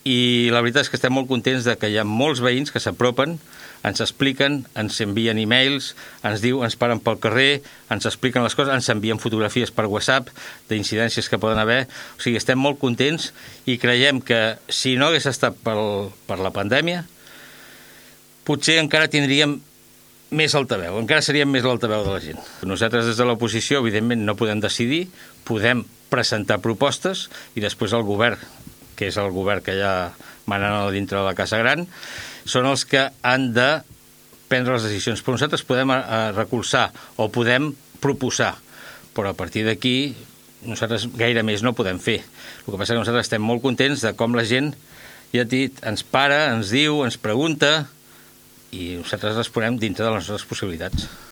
i la veritat és que estem molt contents de que hi ha molts veïns que s'apropen, ens expliquen, ens envien e-mails, ens paren pel carrer, ens expliquen les coses, ens envien fotografies per WhatsApp d'incidències que poden haver. O sigui, estem molt contents i creiem que si no hagués estat per la pandèmia, potser encara tindríem més altaveu, encara seríem més l'altaveu de la gent. Nosaltres des de l'oposició, evidentment, no podem decidir, podem presentar propostes i després el govern, que és el govern que ja manen a dintre de la Casa Gran, són els que han de prendre les decisions. Però nosaltres podem recolzar o podem proposar, però a partir d'aquí nosaltres gaire més no podem fer. El que passa és que nosaltres estem molt contents de com la gent, ja et dit, ens para, ens diu, ens pregunta, i nosaltres responem dintre de les nostres possibilitats.